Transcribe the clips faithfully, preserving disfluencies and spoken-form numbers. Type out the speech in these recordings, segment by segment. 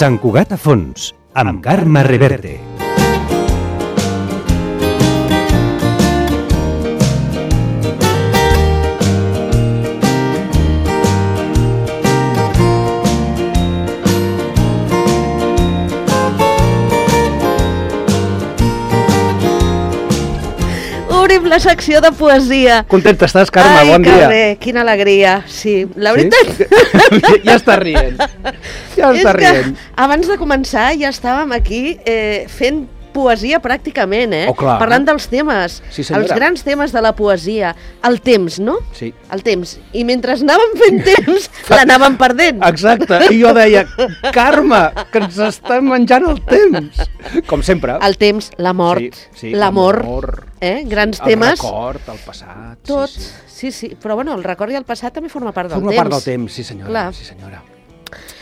Sant Cugat a fons, amb Carme Reverte. Obrim la secció de poesia. Contenta estàs, Carme? Ai, bon dia. Ai, que bé, quina alegria. Sí, la veritat... Sí? Ja està rient. Ja està rient. Abans de començar ja estàvem aquí eh, fent poesia pràcticament, eh? Oh, clar. Parlant dels temes, Sí, senyora. els grans temes de la poesia. El temps, no? Sí. El temps. I mentre anàvem fent temps, l'anàvem perdent. Exacte. I jo deia, Carme, que ens està menjant el temps. Com sempre. El temps, la mort, Sí, sí, l'amor, l'amor, eh? Grans el temes. record, el passat. Tot, Sí, sí. sí, sí. Però bueno, el record i el passat també forma part del Forma temps. part del temps, sí senyora. Clar. Sí senyora.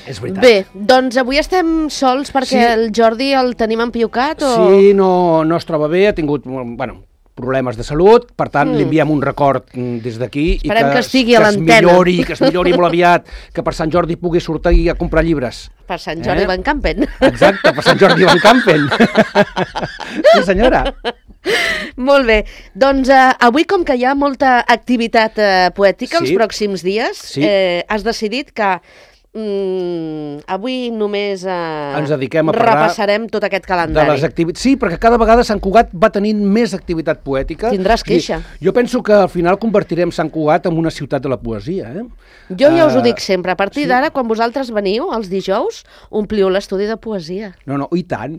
És veritat. Bé, doncs avui estem sols perquè Sí. el Jordi el tenim empiocat o... Sí, no, no es troba bé, ha tingut, bueno, problemes de salut, per tant, mm. li enviem un record mm, des d'aquí. Esperem i que estigui a que es l'antena. millori, que es millori molt aviat, que per Sant Jordi pugui sortir a comprar llibres. Per Sant Jordi Eh? Van Campen. Exacte, per Sant Jordi Van Campen. Sí, senyora. Molt bé, doncs eh, avui com que hi ha molta activitat eh, poètica Sí. els pròxims dies, Sí. eh, has decidit que mm, avui només eh, Ens dediquem a parlar repassarem tot aquest De calendari. les activitats. Sí, perquè cada vegada Sant Cugat va tenint més activitat poètica. Tindràs O sigui, queixa. Jo penso que al final convertirem Sant Cugat en una ciutat de la poesia. Eh? Jo ja us ho Eh, dic sempre, a partir sí. d'ara, quan vosaltres veniu, els dijous, ompliu l'estudi de poesia. No, no, i tant,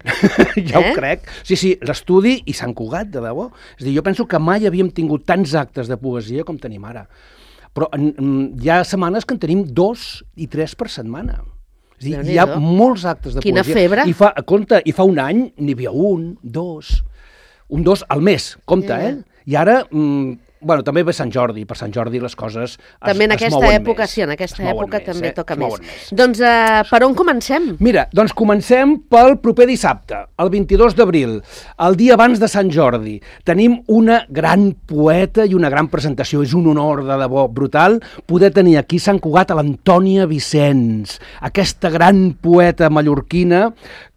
ja Eh? ho crec. Sí, sí, l'estudi i Sant Cugat, de debò. És a dir, jo penso que mai havíem tingut tants actes de poesia com tenim ara. Però en, en, hi ha setmanes que en tenim dos i tres per setmana. És a dir, hi ha Déu-n'hi-do. molts actes de Quina poesia. febre. I fa, compte, i fa un any n'hi havia un, dos, un, dos al mes, compte, Ja. eh? I ara... Mm, bueno, també ve Sant Jordi, per Sant Jordi les coses es, També en es aquesta mouen època, més. sí, en aquesta Es mouen època més, també eh? toca Es més. mouen més. Doncs eh, per on comencem? Mira, doncs comencem pel proper dissabte, el vint-i-dos d'abril, el dia abans de Sant Jordi. Tenim una gran poeta i una gran presentació. És un honor de debò brutal poder tenir aquí a Sant Cugat a l'Antònia Vicenç, aquesta gran poeta mallorquina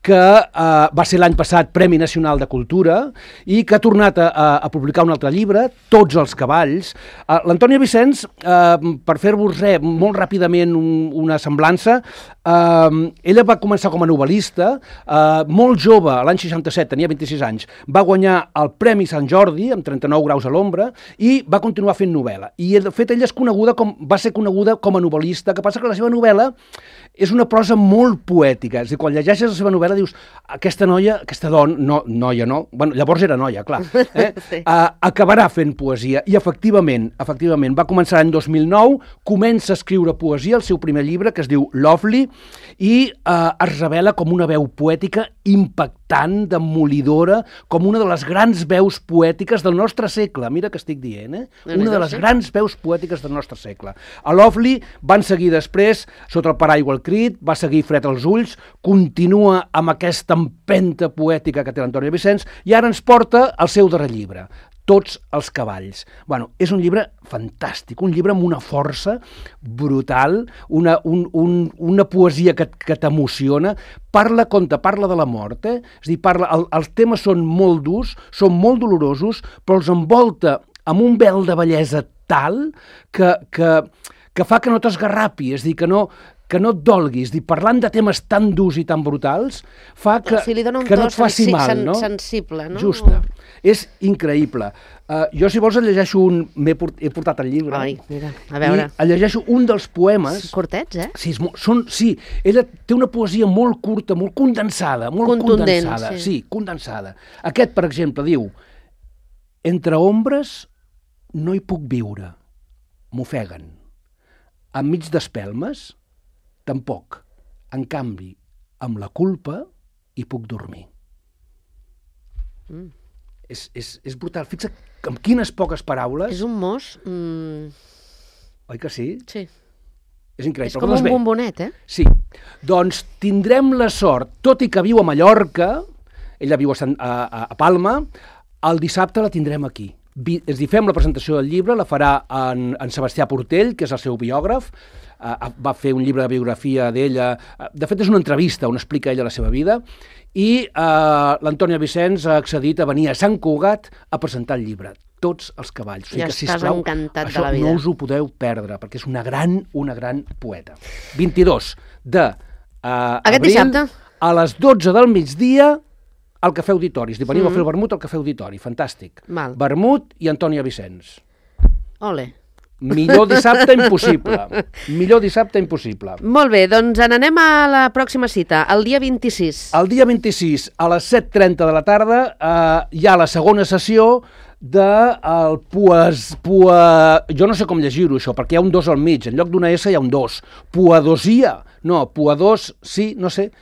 que eh, va ser l'any passat Premi Nacional de Cultura i que ha tornat a, a, a publicar un altre llibre, Tots els cavalls. Uh, L'Antònia Vicenç, uh, per fer-vos res, molt ràpidament un, una semblança, uh, ella va començar com a novel·lista, uh, molt jove, l'any seixanta-set, tenia vint-i-sis anys, va guanyar el Premi Sant Jordi, amb trenta-nou graus a l'ombra, i va continuar fent novel·la. I de fet ella és coneguda com, va ser coneguda com a novel·lista, que passa que la seva novel·la és una prosa molt poètica. És a dir, quan llegeixes la seva novel·la dius, aquesta noia, aquesta dona, no, noia no, bueno, llavors era noia, clar, eh? Sí. uh, acabarà fent poesia. I efectivament, efectivament, va començar l'any dos mil nou, comença a escriure poesia, el seu primer llibre, que es diu Lovely, i uh, es revela com una veu poètica impactant, demolidora, com una de les grans veus poètiques del nostre segle. Mira que estic dient, eh? Déu-n'hi-do, Una de les sí. grans veus poètiques del nostre segle. A Lovely van seguir després, Sota el paraigua el crit, va seguir Fred als ulls, continua amb aquesta empenta poètica que té l'Antònia Vicenç, i ara ens porta el seu darrer llibre, Tots els cavalls. Bueno, és un llibre fantàstic, un llibre amb una força brutal, una, un, un, una poesia que, que t'emociona, parla, conta, parla de la mort, eh? És a dir, parla, el, els temes són molt durs, són molt dolorosos, però els envolta amb un vel de bellesa tal que, que, que fa que no t'esgarrapi, és a dir, que no, que no et dolguis, dir, parlant de temes tan durs i tan brutals, fa que, O sigui, li dona un que no to et faci sensi- mal, sen- no? sensible, no? Justa. És increïble. Uh, jo, si vols, et llegeixo un... M'he port... He portat el llibre. Ai, mira, a veure. I et llegeixo un dels poemes. Cortets, eh? Sí, és mo... són... sí, ella té una poesia molt curta, molt condensada, molt Contundent, condensada. sí. Sí, condensada. Aquest, per exemple, diu: Entre ombres no hi puc viure, m'ofeguen. Enmig d'espelmes, tampoc. En canvi, amb la culpa hi puc dormir. Mm. És, és, és brutal. Fixa't amb quines poques paraules... És un mos... Mm, Oi que sí? sí. És increïble. És com Doncs un bé, bombonet, eh? Sí. Doncs tindrem la sort, tot i que viu a Mallorca, ella viu a, Sant, a, a Palma, el dissabte la tindrem aquí, és dir, fem la presentació del llibre, la farà en, en Sebastià Portell, que és el seu biògraf, uh, va fer un llibre de biografia d'ella, uh, de fet és una entrevista on explica ella la seva vida, i uh, l'Antònia Vicenç ha accedit a venir a Sant Cugat a presentar el llibre, tots els cavalls. O sigui ja que, estàs sisplau, encantat això de la vida. no us ho podeu perdre, perquè és una gran, una gran poeta. vint-i-dos de uh, abril, dissabte? A les dotze del migdia, al Cafè Auditori. És dir, venim Mm. a fer el vermut al Cafè Auditori. Fantàstic. Val. Vermut i Antònia Vicenç. Ole. Millor dissabte impossible. Millor dissabte impossible. Molt bé, doncs n'anem a la pròxima cita, el dia vint-i-sis. El dia vint-i-sis, a les set trenta de la tarda, eh, hi ha la segona sessió de el poes... Poe... Jo no sé com llegir-ho, això, perquè hi ha un dos al mig. En lloc d'una S hi ha un dos. Poedosia. No, poedors, sí, no sé...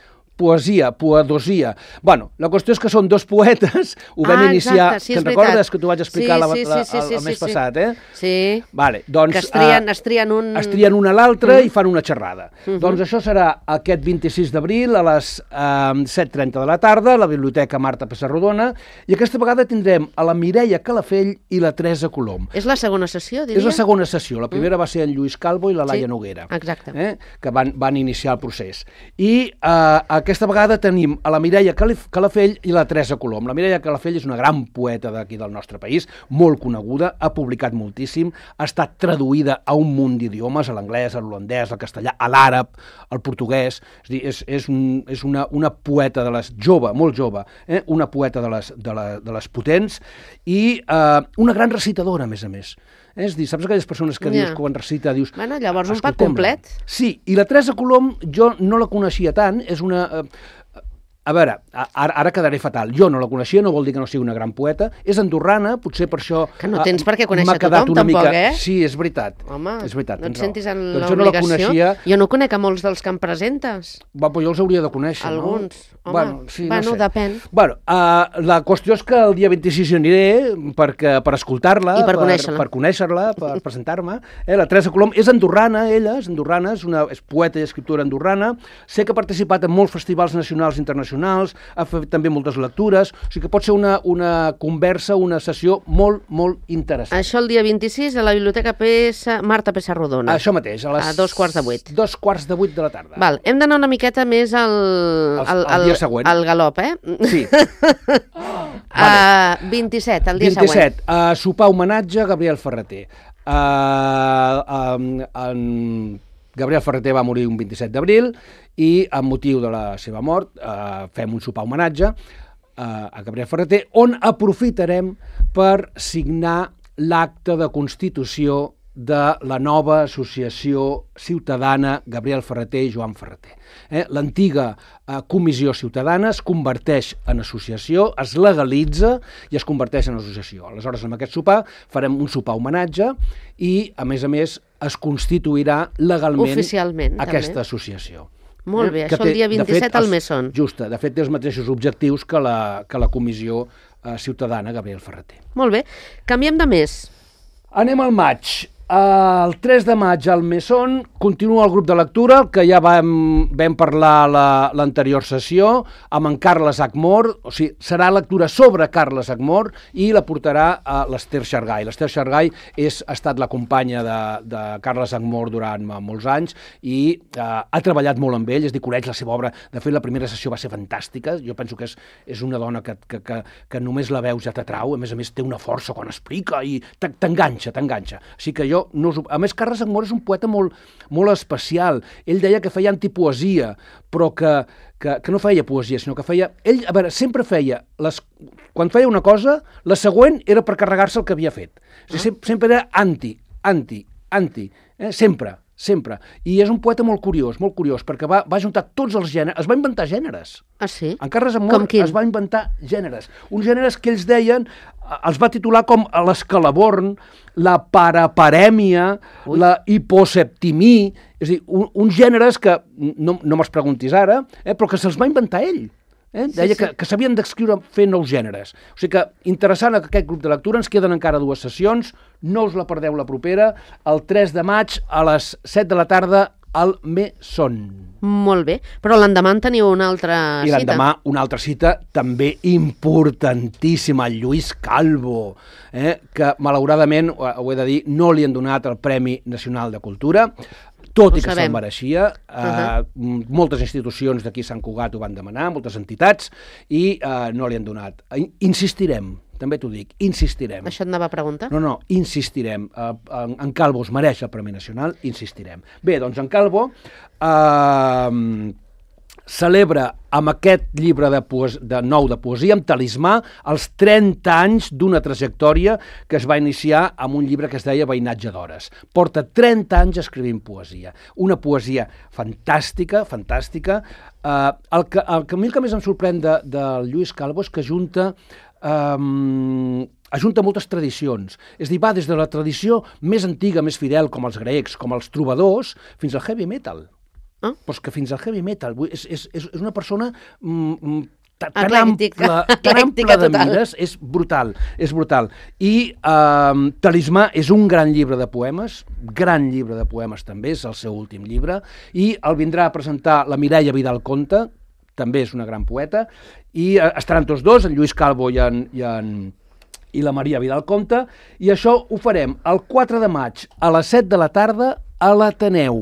Poesia, poedosia. Bueno, la qüestió és que són dos poetes, ho vam Ah, iniciar, exacte, sí, que és te'n recordes veritat. que t'ho vaig explicar Sí, la, sí, la, sí, sí, el, sí, el mes sí. passat, eh? Sí, Vale, doncs, que es trien, eh, es trien un... es trien un a l'altre Mm. i fan una xerrada. Mhm. Doncs això serà aquest vint-i-sis d'abril a les eh, set trenta de la tarda a la Biblioteca Marta Pessarrodona, i aquesta vegada tindrem a la Mireia Calafell i la Teresa Colom. És la segona sessió, diria? És la segona sessió. La primera va ser en Lluís Calvo i la Laia Sí, Noguera, exacte. eh? que van, van iniciar el procés. I eh, aquesta vegada tenim a la Mireia Calafell i la Teresa Colom. La Mireia Calafell és una gran poeta d'aquí del nostre país, molt coneguda, ha publicat moltíssim, ha estat traduïda a un munt d'idiomes, a l'anglès, a l'holandès, al castellà, a l'àrab, al portuguès. És dir, és, és, un, és una, una poeta de les jove, molt jove, eh? una poeta de les, de, la, de les potents i eh, una gran recitadora, a més a més. Eh? És dir, saps aquelles persones que Ja. dius, quan recita, dius... Bueno, llavors un pack "Escoltem-la". complet. Sí, i la Teresa Colom jo no la coneixia tant, és una... Eh, a veure, ara, ara quedaré fatal. Jo no la coneixia, no vol dir que no sigui una gran poeta. És andorrana, potser per això... Que no tens per què conèixer m'ha quedat tothom, una tampoc, mica... eh? Sí, és veritat. Home, és veritat, no et tens sentis raó. en Doncs jo no la l'obligació. coneixia. Jo no conec a molts dels que em presentes. Va, però jo els hauria de conèixer, Alguns. no? Home, bueno, sí, bueno, no sé. depèn. Bueno, uh, la qüestió és que el dia vint-i-sis hi aniré perquè, per escoltar-la, I per per conèixer-la. per, conèixer-la, per presentar-me. Eh, la Teresa Colom és andorrana, ella, és andorrana, és, una, és poeta i escriptora andorrana. Sé que ha participat en molts festivals nacionals i internacionals, ha fet també moltes lectures, o sigui que pot ser una, una conversa, una sessió molt, molt interessant. Això el dia vint-i-sis a la Biblioteca P S Marta Pessarrodona. Això mateix, a les... A dos quarts de vuit. Dos quarts de vuit de la tarda. Val, hem d'anar una miqueta més al, El- al, el dia següent. al galop, eh? Sí. Uh, vint-i-set, el dia vint-i-set, uh, sopar homenatge a Gabriel Ferreter. Uh, um, en... Gabriel Ferreter va morir un vint-i-set d'abril i, amb motiu de la seva mort, uh, fem un sopar homenatge uh, a Gabriel Ferreter, on aprofitarem per signar l'acte de constitució de la nova associació ciutadana Gabriel Ferreter i Joan Ferreter. Eh? L'antiga eh, comissió ciutadana es converteix en associació, es legalitza i es converteix en associació. Aleshores, amb aquest sopar farem un sopar homenatge i, a més a més, es constituirà legalment Oficialment, aquesta també. associació. Molt bé, que això el té, dia de vint-i-set fet, al els- Mesón. Justa, de fet té els mateixos objectius que la, que la comissió eh, ciutadana Gabriel Ferreter. Molt bé, canviem de mes. Anem al maig. El tres de maig al Mesón continua el grup de lectura, que ja vam, vam parlar l'anterior la, sessió, amb en Carles Acmor, o sigui, serà lectura sobre Carles Acmor i la portarà a l'Ester Xargai. L'Ester Xargai és, ha estat la companya de, de Carles Acmor durant molts anys i eh, ha treballat molt amb ell, és dir, coneix la seva obra. De fet, la primera sessió va ser fantàstica. Jo penso que és, és una dona que, que, que, que només la veus ja t'atrau, a més a més té una força quan explica i t'enganxa, t'enganxa. Així que jo no us... A més, Carles Acmor és un poeta molt, molt especial. Ell deia que feia antipoesia, però que, que, que no feia poesia, sinó que feia... Ell, a veure, sempre feia... Les, quan feia una cosa, la següent era per carregar-se el que havia fet. O sigui, sempre, sempre era anti, anti, anti. Eh? Sempre, sempre. I és un poeta molt curiós, molt curiós, perquè va, va juntar tots els gèneres, es va inventar gèneres. Ah, sí? En Carles Acmor es va inventar gèneres. Uns gèneres que ells deien, els va titular com l'escalaborn, la paraparèmia, Ui. la hiposeptimí, és a dir, un, uns gèneres que, no, no me'ls preguntis ara, eh, però que se'ls va inventar ell. Eh? Deia sí, sí. que, que s'havien d'escriure fer nous gèneres. O sigui que, interessant aquest grup de lectura, ens queden encara dues sessions, no us la perdeu la propera, el tres de maig a les set de la tarda, al Mesón. Molt bé, però l'endemà en teniu una altra I cita. l'endemà una altra cita també importantíssima, el Lluís Calvo, eh, que malauradament, ho, ho he de dir, no li han donat el Premi Nacional de Cultura, tot Ho i que sabem. se'l mereixia. Uh Uh-huh. -huh. Moltes institucions d'aquí Sant Cugat ho van demanar, moltes entitats, i uh, no li han donat. Insistirem, també t'ho dic, insistirem. Això et anava a preguntar? No, no, insistirem. Uh, en, en Calvo es mereix el Premi Nacional, insistirem. Bé, doncs en Calvo uh, celebra amb aquest llibre de, poes de nou de poesia, amb Talismà, els trenta anys d'una trajectòria que es va iniciar amb un llibre que es deia Veïnatge d'hores. Porta trenta anys escrivint poesia. Una poesia fantàstica, fantàstica. Uh, el, que, el que a mi el que més em sorprèn de, de Lluís Calvo és que junta... Um, ajunta moltes tradicions. És a dir, va des de la tradició més antiga, més fidel, com els grecs, com els trobadors, fins al heavy metal. Ah? Però és que fins al heavy metal. És, és, és una persona mm, tan, tan Eclèctica. ampla, tan Eclèctica ampla de total. mires, és brutal, és brutal. I eh, Talismà és un gran llibre de poemes, gran llibre de poemes també, és el seu últim llibre, i el vindrà a presentar la Mireia Vidal Conte, també és una gran poeta, i eh, estaran tots dos, en Lluís Calvo i en... I en i la Maria Vidal Conte, i això ho farem el quatre de maig a les set de la tarda a l'Ateneu.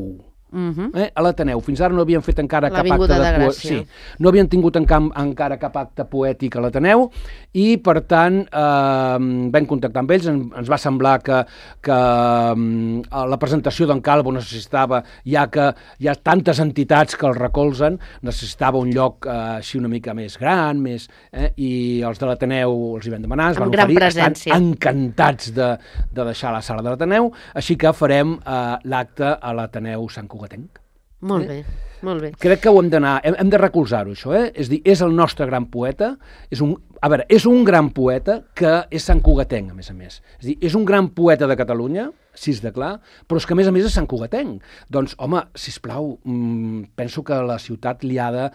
Uh -huh. eh? A l'Ateneu. Fins ara no havien fet encara cap acte l'Avinguda de de poesia. Gràcia. Sí, no havien tingut en camp, encara cap acte poètic a l'Ateneu i, per tant, eh, vam contactar amb ells. En, ens va semblar que, que eh, la presentació d'en Calvo necessitava, ja que hi ha tantes entitats que el recolzen, necessitava un lloc eh, així una mica més gran, més, eh, i els de l'Ateneu els hi vam demanar, es Amb van gran oferir, presència. estan encantats de, de deixar la sala de l'Ateneu, així que farem eh, l'acte a l'Ateneu Sant Cugatenc. Molt bé, molt bé. Crec que ho hem d'anar, hem, hem de recolzar-ho, això, eh? És dir, és el nostre gran poeta, és un, a veure, és un gran poeta que és Sant Cugatenc, a més a més. És dir, és un gran poeta de Catalunya, si és de clar, però és que a més a més és Sant Cugatenc. Doncs, home, sisplau, mmm, penso que la ciutat li ha de...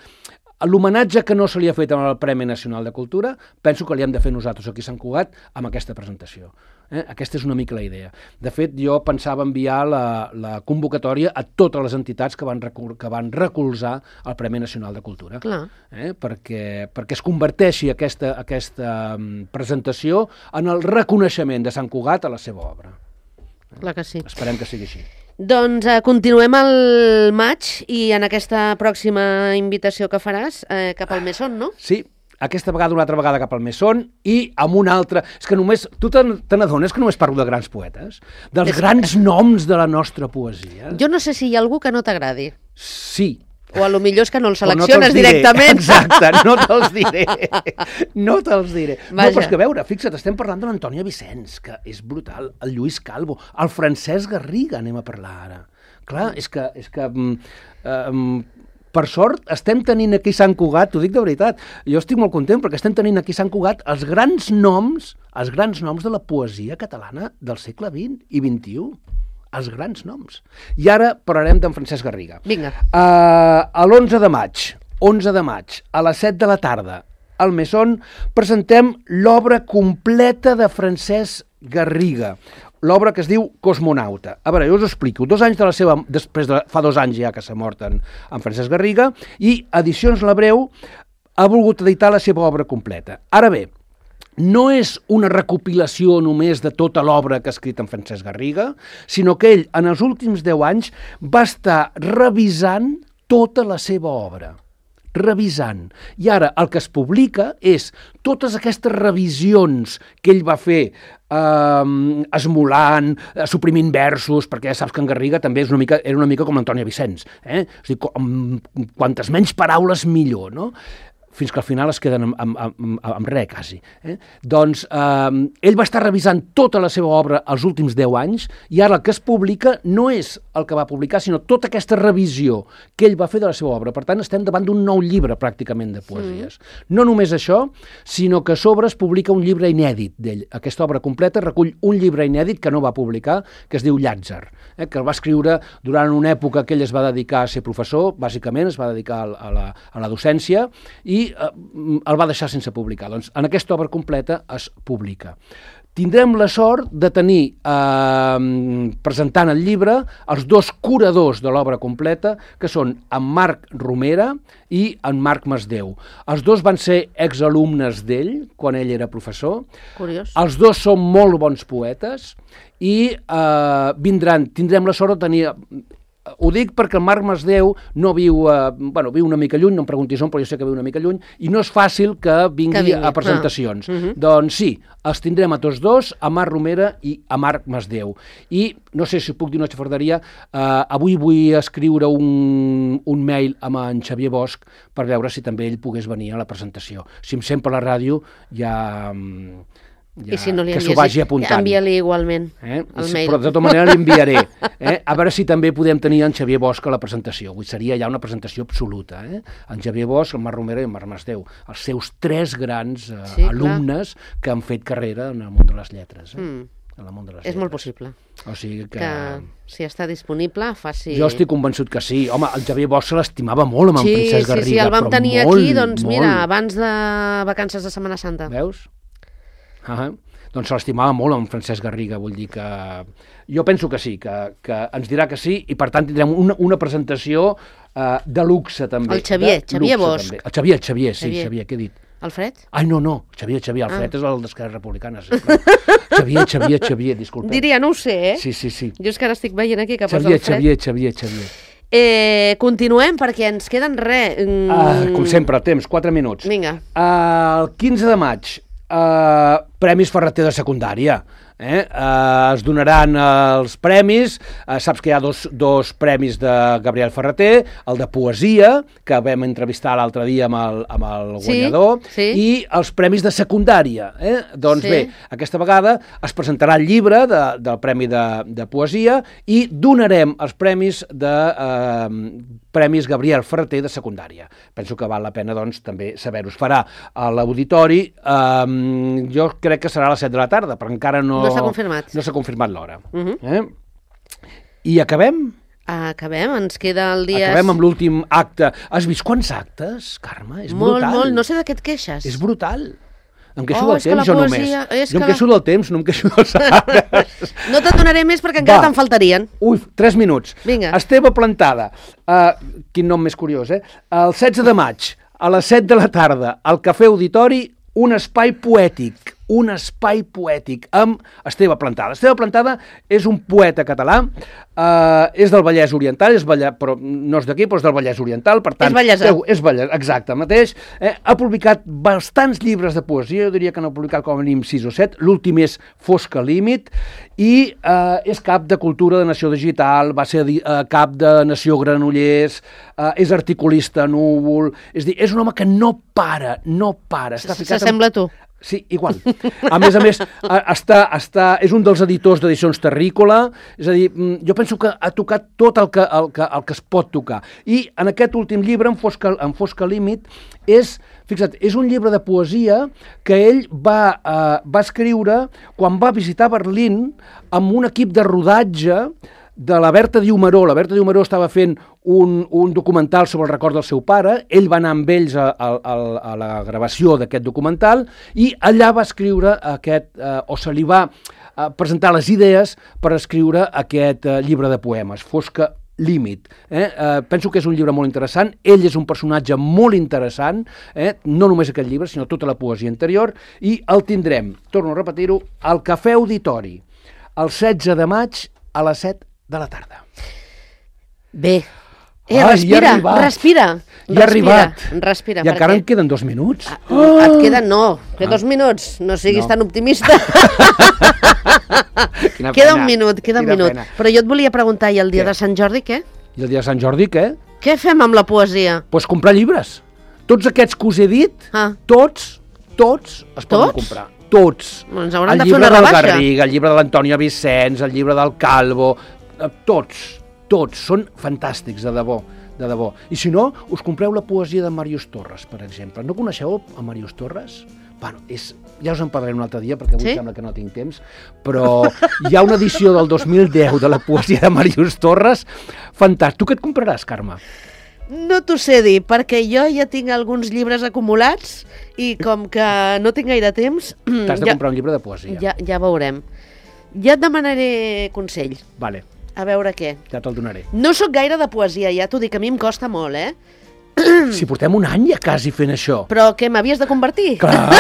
L'homenatge que no se li ha fet amb el Premi Nacional de Cultura, penso que li hem de fer nosaltres aquí a Sant Cugat amb aquesta presentació. Eh? Aquesta és una mica la idea. De fet, jo pensava enviar la, la convocatòria a totes les entitats que van, recol que van recolzar el Premi Nacional de Cultura. Clar. Eh? Perquè, perquè es converteixi aquesta, aquesta um, presentació en el reconeixement de Sant Cugat a la seva obra. Clar que sí. Esperem que sigui així. Doncs eh, continuem al maig i en aquesta pròxima invitació que faràs eh, cap al Mesón, no? Sí, aquesta vegada una altra vegada cap al Mesón i amb una altra... És que només... Tu te n'adones que només parlo de grans poetes? Dels És... grans noms de la nostra poesia? Jo no sé si hi ha algú que no t'agradi. Sí. O a lo millor és que no el Però no selecciones te'ls diré. directament. Exacte, no te'ls diré. No te'ls diré. Vaja. No, però és que a veure, fixa't, estem parlant de l'Antònia Vicenç, que és brutal, el Lluís Calvo, el Francesc Garriga, anem a parlar ara. Clar, és que... És que um, um, per sort, estem tenint aquí a Sant Cugat, t'ho dic de veritat, jo estic molt content perquè estem tenint aquí a Sant Cugat els grans noms, els grans noms de la poesia catalana del segle vint i vint-i-u. Els grans noms. I ara parlarem d'en Francesc Garriga. Vinga. Uh, a l'onze de maig, onze de maig, a les set de la tarda, al Mesón, presentem l'obra completa de Francesc Garriga, l'obra que es diu Cosmonauta. A veure, jo us ho explico. Dos anys de la seva... Després de, fa dos anys ja que s'ha mort en, en Francesc Garriga, i Edicions L'Hebreu ha volgut editar la seva obra completa. Ara bé, no és una recopilació només de tota l'obra que ha escrit en Francesc Garriga, sinó que ell, en els últims deu anys, va estar revisant tota la seva obra. Revisant. I ara el que es publica és totes aquestes revisions que ell va fer eh, esmolant, eh, suprimint versos, perquè ja saps que en Garriga també és una mica, era una mica com l'Antònia Vicenç. Eh? És a dir, com, quantes menys paraules millor, no? Fins que al final es queden amb, amb, amb, amb res, quasi. Eh? Doncs eh, ell va estar revisant tota la seva obra els últims deu anys i ara el que es publica no és el que va publicar, sinó tota aquesta revisió que ell va fer de la seva obra. Per tant, estem davant d'un nou llibre, pràcticament, de poesies. Mm. No només això, sinó que a sobre es publica un llibre inèdit d'ell. Aquesta obra completa recull un llibre inèdit que no va publicar, que es diu Llàtzer, eh? que el va escriure durant una època que ell es va dedicar a ser professor, bàsicament, es va dedicar a la, a la docència, i el va deixar sense publicar. Doncs en aquesta obra completa es publica. tindrem la sort de tenir, eh, presentant el llibre, els dos curadors de l'obra completa, que són en Marc Romera i en Marc Masdeu. Els dos van ser exalumnes d'ell, quan ell era professor. Curiós. Els dos són molt bons poetes i eh, vindran, tindrem la sort de tenir... Ho dic perquè el Marc Masdeu no viu, eh, bueno, viu una mica lluny, no em preguntis on, però jo sé que viu una mica lluny, i no és fàcil que vingui, que vingui. a presentacions. Ah. Uh-huh. Doncs sí, els tindrem a tots dos, a Marc Romera i a Marc Masdeu. I no sé si puc dir una xafarderia, eh, avui vull escriure un, un mail amb en Xavier Bosch per veure si també ell pogués venir a la presentació. Si em sent per la ràdio, ja... Ja, I si no li que s'ho vagi apuntant. Envia-li igualment eh? el sí, mail. Però de tota manera l'enviaré. Eh? A veure si també podem tenir en Xavier Bosch a la presentació. Avui seria ja una presentació absoluta. Eh? En Xavier Bosch, en Marc Romera i en Marc Masdeu. Els seus tres grans eh, sí, alumnes clar. que han fet carrera en el món de les lletres. Eh? Mm. En el món de les És lletres. molt possible. O sigui que... que si està disponible, faci... Jo estic convençut que sí. Home, el Xavier Bosch se l'estimava molt amb sí, en Francesc Garriga. Sí, sí, el vam tenir molt, aquí, doncs molt. mira, abans de vacances de Setmana Santa. Veus? Ah, doncs se l'estimava molt amb Francesc Garriga, vull dir que... Jo penso que sí, que, que ens dirà que sí, i per tant tindrem una, una presentació uh, de luxe també. El Xavier, Xavier Bosch. També. El Xavier, el Xavier, sí, Xavier, Xavier què he dit? Alfred? Ai, no, no, Xavier, Xavier, Alfred ah. és el d'Esquerra Republicana. Sí, Xavier, Xavier, Xavier, disculpeu. Diria, no ho sé, eh? Sí, sí, sí. Jo és que ara estic veient aquí que posa Xavier, Alfred. Xavier, Xavier, Xavier. Eh, continuem, perquè ens queden res. Mm. Uh, com sempre, temps, quatre minuts. Vinga. Uh, el quinze de maig, uh, Premis Ferreter de secundària. Eh? Uh, es donaran uh, els premis, uh, saps que hi ha dos, dos premis de Gabriel Ferreter, el de poesia, que vam entrevistar l'altre dia amb el, amb el guanyador, sí, sí. i els premis de secundària. Eh? Doncs sí. bé, aquesta vegada es presentarà el llibre de, del Premi de, de Poesia i donarem els premis de uh, Premis Gabriel Ferreter de secundària. Penso que val la pena, doncs, també saber-ho. Es farà a l'auditori, um, jo crec que serà a les set de la tarda, però encara no... No s'ha confirmat. No s'ha confirmat l'hora. Uh-huh. eh? I acabem? Acabem, ens queda el dia... Acabem amb l'últim acte. Has vist quants actes, Carme? És molt, brutal. Molt, no sé de què et queixes. És brutal. Em queixo oh, del temps, jo poesia... només. És jo em que... queixo del temps, no em queixo dels arbres. No te'n donaré més perquè encara te'n faltarien. Ui, tres minuts. Vinga. Esteve Plantada, uh, quin nom més curiós, eh? El setze de maig, a les set de la tarda, al Cafè Auditori, un espai poètic, un espai poètic amb Esteve Plantada. Esteve Plantada és un poeta català, eh, és del Vallès Oriental, és Vallès, però no és d'aquí, però és del Vallès Oriental, per tant... És vallèsà. És Vallès, exacte, mateix. Eh, ha publicat bastants llibres de poesia, jo diria que n'ha publicat com a mínim sis o set, l'últim és Fosca Límit, i eh, és cap de Cultura de Nació Digital, va ser eh, cap de Nació Granollers, eh, és articulista a Núvol, és dir, és un home que no para, no para. S'assembla a tu. Sí, igual. A més a més, està, està, és un dels editors d'Edicions Terrícola, és a dir, jo penso que ha tocat tot el que, el que, el que es pot tocar. I en aquest últim llibre, en Fosca, en Fosca Límit, és, fixa't, és un llibre de poesia que ell va, eh, va escriure quan va visitar Berlín amb un equip de rodatge de la Berta Diumaró. La Berta Diumaró estava fent un, un documental sobre el record del seu pare, ell va anar amb ells a, a, a la gravació d'aquest documental i allà va escriure aquest, eh, o se li va eh, presentar les idees per escriure aquest eh, llibre de poemes, Fosca Límit. Eh? Eh, penso que és un llibre molt interessant, ell és un personatge molt interessant, eh? no només aquest llibre, sinó tota la poesia interior, i el tindrem, torno a repetir-ho, al Cafè Auditori, el setze de maig a les set de la tarda. Bé. Eh, Ai, respira, respira. Ja ha arribat. Respira. I encara em queden dos minuts. Ah, oh! Et queden, no, que dos minuts. No siguis no. tan optimista. Quina queda pena. un minut, queda Quina un minut. Pena. Però jo et volia preguntar, i el dia què? de Sant Jordi, què? I el dia de Sant Jordi, què? Què fem amb la poesia? Doncs pues comprar llibres. Tots aquests que us he dit, ah. tots, tots es poden tots? comprar. Tots. Ens hauran de fer una rebaixa. El llibre del Garriga, el llibre de l'Antònia Vicenç, el llibre del Calvo, tots, tots, són fantàstics, de debò, de debò. I si no, us compreu la poesia de Màrius Torres, per exemple. No coneixeu a Màrius Torres? Bueno, és, ja us en parlaré un altre dia, perquè avui sí? sembla que no tinc temps, però hi ha una edició del dos mil deu de la poesia de Màrius Torres, fantàstic. Tu què et compraràs, Carme? No t'ho sé dir, perquè jo ja tinc alguns llibres acumulats i com que no tinc gaire temps... T'has de ja, comprar un llibre de poesia. Ja, ja veurem. Ja et demanaré consell. Vale, A veure què. ja te'l donaré. No sóc gaire de poesia, ja t'ho dic, a mi em costa molt, eh? Si portem un any ja quasi fent això. Però què, m'havies de convertir? Clar,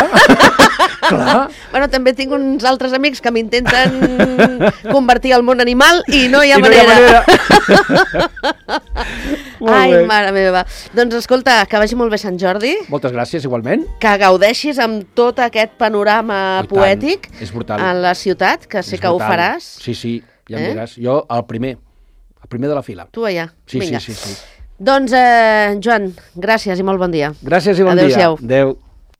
clar. Bueno, també tinc uns altres amics que m'intenten convertir al món animal i no hi ha I no hi ha manera. manera. Molt Ai, bé. mare meva. Doncs escolta, que vagi molt bé Sant Jordi, Moltes gràcies, igualment. que gaudeixis amb tot aquest panorama I tant, poètic és brutal. a la ciutat, que sé És que ho brutal. faràs. Sí, sí, ja em Eh? diràs. Jo, el primer, el primer de la fila. Tu allà. Sí, Vinga. sí, sí, sí. Doncs, eh, Joan, gràcies i molt bon dia. Gràcies i bon Adéu-siau. dia. Adéu.